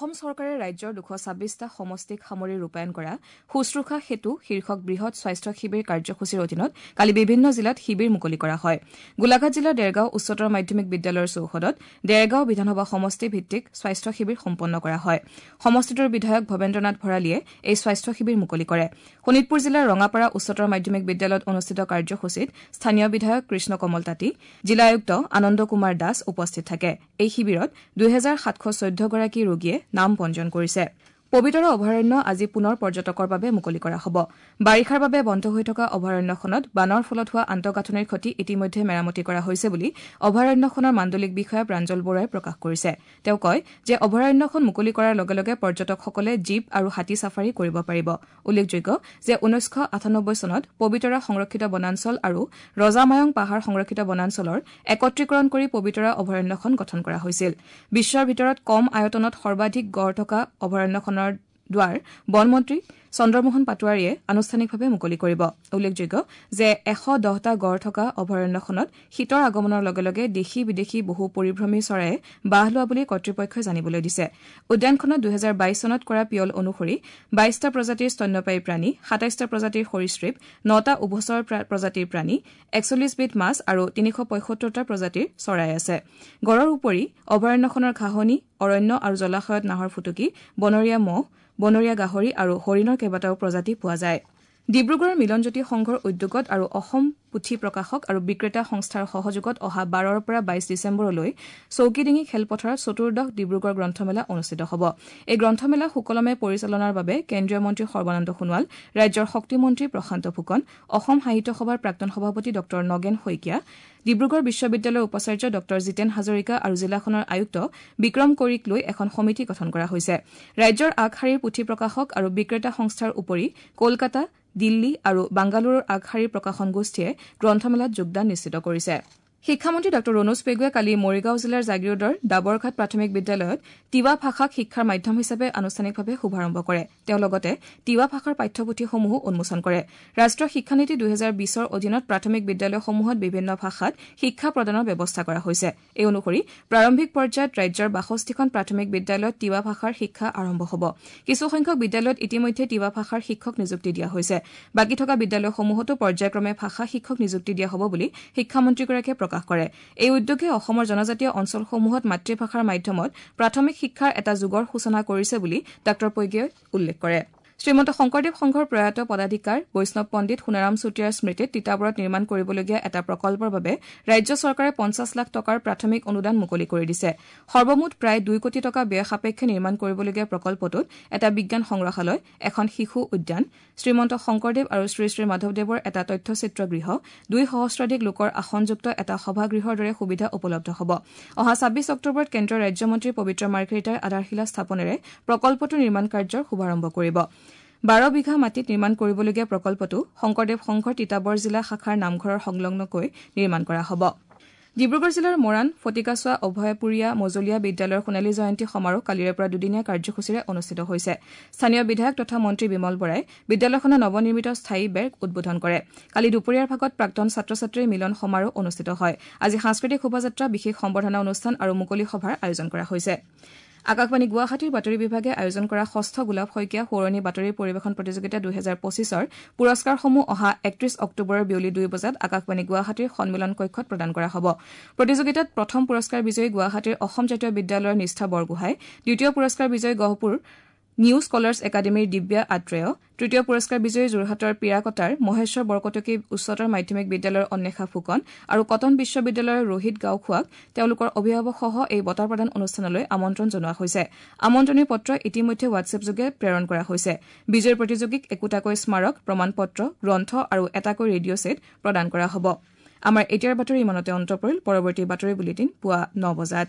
অসম চৰকাৰে ৰাজ্যৰ 226টা সমষ্টিক সামৰি ৰূপায়ণ কৰা শুশ্ৰূষা সেতু শীৰ্ষক বৃহৎ স্বাস্থ্য শিবিৰ কাৰ্যসূচীৰ অধীনত কালি বিভিন্ন জিলাত শিবিৰ মুকলি কৰা হয়। গোলাঘাট জিলাৰ দেৰগাঁও উচ্চতৰ মাধ্যমিক বিদ্যালয়ৰ চৌহদত দেৰগাঁও বিধানসভা সমষ্টি ভিত্তিক স্বাস্থ্য শিবিৰ সম্পন্ন কৰা হয়। সমষ্টিটোৰ বিধায়ক ভৱেন্দ্ৰনাথ ভৰালীয়ে এই স্বাস্থ্য শিবিৰ মুকলি কৰে। শোণিতপুৰ জিলাৰ ৰঙাপাৰা উচ্চতৰ মাধ্যমিক বিদ্যালয়ত অনুষ্ঠিত কাৰ্যসূচীত স্থানীয় বিধায়ক কৃষ্ণ কমল তাঁতী, জিলা আয়ুক্ত আনন্দ কুমাৰ দাস উপস্থিত থাকে। এই শিবিৰত 2714 গৰাকী ৰোগীয়ে নাম পঞ্জীয়ন কৰিছে। পবিতৰা অভয়াৰণ্য আজি পুনৰ পৰ্যটকৰ বাবে মুকলি কৰা হ'ব। বাৰিষাৰ বাবে বন্ধ হৈ থকা অভয়াৰণ্যখনত বানৰ ফলত হোৱা আন্তঃগাঁথনিৰ ক্ষতি ইতিমধ্যে মেৰামতি কৰা হৈছে বুলি অভয়াৰণ্যখনৰ মাণ্ডলিক বিষয়া প্ৰাঞ্জল বৰুৱাই প্ৰকাশ কৰিছে। তেওঁ কয় যে অভয়াৰণ্যখন মুকলি কৰাৰ লগে লগে পৰ্যটকসকলে জীপ আৰু হাতী চাফাৰী কৰিব পাৰিব। উল্লেখযোগ্য যে 1998 চনত পবিতৰা সংৰক্ষিত বনাঞ্চল আৰু ৰজামায়ং পাহাৰ সংৰক্ষিত বনাঞ্চলৰ একত্ৰীকৰণ কৰি পবিতৰা অভয়াৰণ্যখন গঠন কৰা হৈছিল। বিশ্বৰ ভিতৰত কম আয়তনত সৰ্বাধিক গড় থকা অভয়াৰণ্যখনৰ দ্বাৰ বনমন্ত্ৰী চন্দ্ৰমোহন পাটোৱাৰীয়ে আনুষ্ঠানিকভাৱে মুকলি কৰিব। উল্লেখযোগ্য যে 110টা গড় থকা অভয়াৰণ্যখনত শীতৰ আগমনৰ লগে লগে দেশী বিদেশী বহু পৰিভ্ৰমী চৰাইয়ে বাহ লোৱা বুলি কৰ্তৃপক্ষই জানিবলৈ দিছে। উদ্যানখনত 2022 চনত কৰা পিয়ল অনুসৰি 22টা প্ৰজাতিৰ স্তন্যপায়ী প্ৰাণী, 27টা প্ৰজাতিৰ সৰীসৃপ, 9টা উভচৰ প্ৰজাতিৰ প্ৰাণী, 41বিধ মাছ আৰু 375টা প্ৰজাতিৰ চৰাই আছে। গড়ৰ উপৰি অভয়াৰণ্যখনৰ ঘাঁহনি, অৰণ্য আৰু জলাশয়ত নাহৰ ফুটুকী, বনৰীয়া মহ, বনৰীয়া গাহৰি আৰু হৰিণৰ কেইবাটাও প্ৰজাতি পোৱা যায়। ডিব্ৰুগড়ৰ মিলনজ্যোতি সংঘৰ উদ্যোগত আৰু অসম পুথি প্ৰকাশক আৰু বিক্ৰেতা সংস্থাৰ সহযোগত অহা 12ৰ পৰা 22 ডিচেম্বৰলৈ চৌকিডিঙি খেলপথাৰত চতুৰ্দশ ডিব্ৰুগড় গ্ৰন্থমেলা অনুষ্ঠিত হ'ব। এই গ্ৰন্থমেলা সুকলমে পৰিচালনাৰ বাবে কেন্দ্ৰীয় মন্ত্ৰী সৰ্বানন্দ সোণোৱাল, ৰাজ্যৰ শক্তিমন্ত্ৰী প্ৰশান্ত ফুকন, অসম সাহিত্য সভাৰ প্ৰাক্তন সভাপতি ড নগেন শইকীয়া, ডিব্ৰুগড় বিশ্ববিদ্যালয়ৰ উপাচাৰ্য ড জিতেন হাজৰিকা আৰু জিলাখনৰ আয়ুক্ত বিক্ৰম কৈৰীক লৈ এখন সমিতি গঠন কৰা হৈছে। ৰাজ্যৰ আগশাৰীৰ পুথি প্ৰকাশক আৰু বিক্ৰেতা সংস্থাৰ উপৰি কলকাতা, দিল্লী আৰু বাংগালুৰুৰ আগশাৰীৰ প্ৰকাশন গোষ্ঠীয়ে গ্ৰন্থমেলাত যোগদান নিশ্চিত কৰিছে। শিক্ষামন্ত্ৰী ড ৰণোজ পেগুৱে কালি মৰিগাঁও জিলাৰ জাগীৰোডৰ ডাবৰঘাট প্ৰাথমিক বিদ্যালয়ত তিৱা ভাষাক শিক্ষাৰ মাধ্যম হিচাপে আনুষ্ঠানিকভাৱে শুভাৰম্ভ কৰে। তেওঁ লগতে তিৱা ভাষাৰ পাঠ্যপুথিসমূহো উন্মোচন কৰে। ৰাষ্ট্ৰীয় শিক্ষানীতি 2020ৰ অধীনত প্ৰাথমিক বিদ্যালয়সমূহত বিভিন্ন ভাষাত শিক্ষা প্ৰদানৰ ব্যৱস্থা কৰা হৈছে। এই অনুসৰি প্ৰাৰম্ভিক পৰ্যায়ত ৰাজ্যৰ 62খন প্ৰাথমিক বিদ্যালয়ত তিৱা ভাষাৰ শিক্ষা আৰম্ভ হ'ব। কিছুসংখ্যক বিদ্যালয়ত ইতিমধ্যে তিৱা ভাষাৰ শিক্ষক নিযুক্তি দিয়া হৈছে। বাকী থকা বিদ্যালয়সমূহতো পৰ্যায়ক্ৰমে ভাষা শিক্ষক নিযুক্তি দিয়া হ'ব বুলি শিক্ষামন্ত্ৰীগৰাকীয়ে প্ৰকাশ কৰে। এই উদ্যোগে অসমৰ জনজাতীয় অঞ্চলসমূহত মাতৃভাষাৰ মাধ্যমত প্ৰাথমিক শিক্ষাৰ এটা যুগৰ সূচনা কৰিছে বুলি ডাঃ পেগুৱে উল্লেখ কৰে। শ্ৰীমন্ত শংকৰদেৱ সংঘৰ প্ৰয়াত পদাধিকাৰ বৈষ্ণৱ পণ্ডিত সোণাৰাম চুতীয়াৰ স্মৃতিত তিতাবৰত নিৰ্মাণ কৰিবলগীয়া এটা প্ৰকল্পৰ বাবে ৰাজ্য চৰকাৰে 50 লাখ টকাৰ প্ৰাথমিক অনুদান মুকলি কৰি দিছে। সৰ্বমুঠ প্ৰায় 2 কোটি টকা ব্যয় সাপেক্ষে নিৰ্মাণ কৰিবলগীয়া প্ৰকল্পটোত এটা বিজ্ঞান সংগ্ৰহালয়, এখন শিশু উদ্যান, শ্ৰীমন্ত শংকৰদেৱ আৰু শ্ৰী শ্ৰী মাধৱদেৱৰ এটা তথ্যচিত্ৰ গৃহ, 2 সহস্ৰাধিক লোকৰ আসনযুক্ত এটা সভাগৃহৰ দৰে সুবিধা উপলব্ধ হ'ব। অহা 26 অক্টোবৰত কেন্দ্ৰীয় ৰাজ্যমন্ত্ৰী পবিত্ৰ মাৰ্ঘেৰিটাই আধাৰশিলা স্থাপনেৰে প্ৰকল্পটোৰ নিৰ্মাণ কাৰ্যৰ শুভাৰম্ভ কৰিব। 12 বিঘা মাটিত নিৰ্মাণ কৰিবলগীয়া প্ৰকল্পটো শংকৰদেৱ সংঘৰ তিতাবৰ জিলা শাখাৰ নামঘৰৰ সংলগ্নকৈ নিৰ্মাণ কৰা হ'ব। ডিব্ৰুগড় জিলাৰ মৰাণ ফটিকাচোৱা অভয়পুৰীয়া মজলীয়া বিদ্যালয়ৰ সোণালী জয়ন্তী সমাৰোহ কালিৰে পৰা দুদিনীয়া কাৰ্যসূচীৰে অনুষ্ঠিত হৈছে। স্থানীয় বিধায়ক তথা মন্ত্ৰী বিমল বৰাই বিদ্যালয়খনৰ নৱনিৰ্মিত স্থায়ী বেৰ উদ্বোধন কৰে। কালি দুপৰীয়াৰ ভাগত প্ৰাক্তন ছাত্ৰ ছাত্ৰীৰ মিলন সমাৰোহ অনুষ্ঠিত হয়। আজি সাংস্কৃতিক শোভাযাত্ৰা, বিশেষ সম্বৰ্ধনা অনুষ্ঠান আৰু মুকলি সভাৰ আয়োজন কৰা হৈছে। আকাশবাণী গুৱাহাটীৰ বাতৰি বিভাগে আয়োজন কৰা ষষ্ঠ গোলাপ শইকীয়া সোঁৱৰণী বাতৰি পৰিৱেশন প্ৰতিযোগিতা 2025ৰ পুৰস্কাৰসমূহ অহা 31 অক্টোবৰৰ বিয়লি 2 বজাত আকাশবাণী গুৱাহাটীৰ সন্মিলন কক্ষত প্ৰদান কৰা হ'ব। প্ৰতিযোগিতাত প্ৰথম পুৰস্কাৰ বিজয়ী গুৱাহাটীৰ অসম জাতীয় বিদ্যালয়ৰ নিষ্ঠা বৰগোহাঁই, দ্বিতীয় পুৰস্কাৰ বিজয়ী গহপুৰ নিউ স্কলাৰ্ছ একাডেমীৰ দিব্যা আত্ৰেয়, তৃতীয় পুৰস্কাৰ বিজয়ী যোৰহাটৰ পিৰাকটাৰ মহেশ্বৰ বৰকটকী উচ্চতৰ মাধ্যমিক বিদ্যালয়ৰ অন্বেষা ফুকন আৰু কটন বিশ্ববিদ্যালয়ৰ ৰোহিত গাঁওখোৱাক তেওঁলোকৰ অভিভাৱকসহ এই বঁটা প্ৰদান অনুষ্ঠানলৈ আমন্ত্ৰণ জনোৱা হৈছে। আমন্ত্ৰণী পত্ৰ ইতিমধ্যে হোৱাটছএপযোগে প্ৰেৰণ কৰা হৈছে। বিজয়ী প্ৰতিযোগীক একোটাকৈ স্মাৰক, প্ৰমাণপত্ৰ, গ্ৰন্থ আৰু এটাকৈ ৰেডিঅ' ছেট প্ৰদান কৰা হ'ব। আমাৰ এতিয়াৰ বাতৰি ইমানতে অন্ত পৰিল। পৰৱৰ্তী বাতৰি বুলেটিন পুৱা 9 বজাত।